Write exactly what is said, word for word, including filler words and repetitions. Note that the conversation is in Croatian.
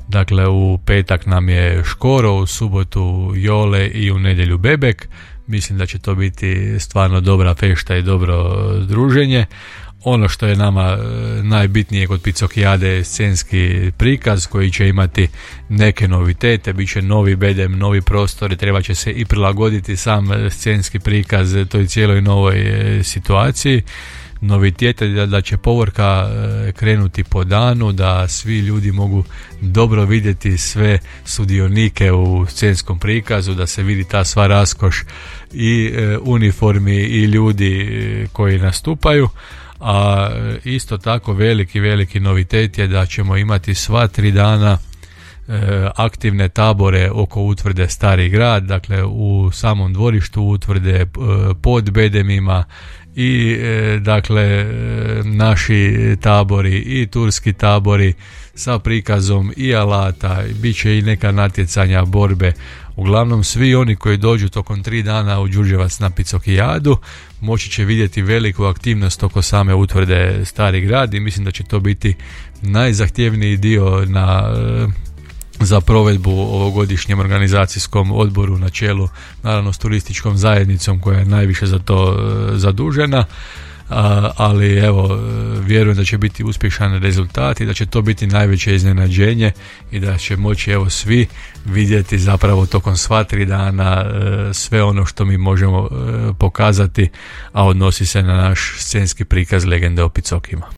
Dakle, u petak nam je Škoro, u subotu Jole i u nedjelju Bebek. Mislim da će to biti stvarno dobra fešta i dobro druženje. Ono što je nama najbitnije kod Picokijade je scenski prikaz koji će imati neke novitete, bit će novi bedem, novi prostori, treba će se i prilagoditi sam scenski prikaz toj cijeloj novoj situaciji. Novitet je da će povorka krenuti po danu, da svi ljudi mogu dobro vidjeti sve sudionike u scenskom prikazu, da se vidi ta sva raskoš i uniformi i ljudi koji nastupaju. A isto tako veliki, veliki novitet je da ćemo imati sva tri dana aktivne tabore oko utvrde Stari grad, dakle u samom dvorištu utvrde, pod bedemima i dakle naši tabori i turski tabori sa prikazom i alata, bit će i neka natjecanja, borbe. Uglavnom svi oni koji dođu tokom tri dana u Đurđevac na Picokijadu moći će vidjeti veliku aktivnost oko same utvrde Stari grad i mislim da će to biti najzahtjevniji dio na za provedbu ovogodišnjem organizacijskom odboru na čelu naravno s turističkom zajednicom koja je najviše za to zadužena, ali evo vjerujem da će biti uspješan rezultat i da će to biti najveće iznenađenje i da će moći evo svi vidjeti zapravo tokom sva tri dana sve ono što mi možemo pokazati, a odnosi se na naš scenski prikaz Legende o Picokima.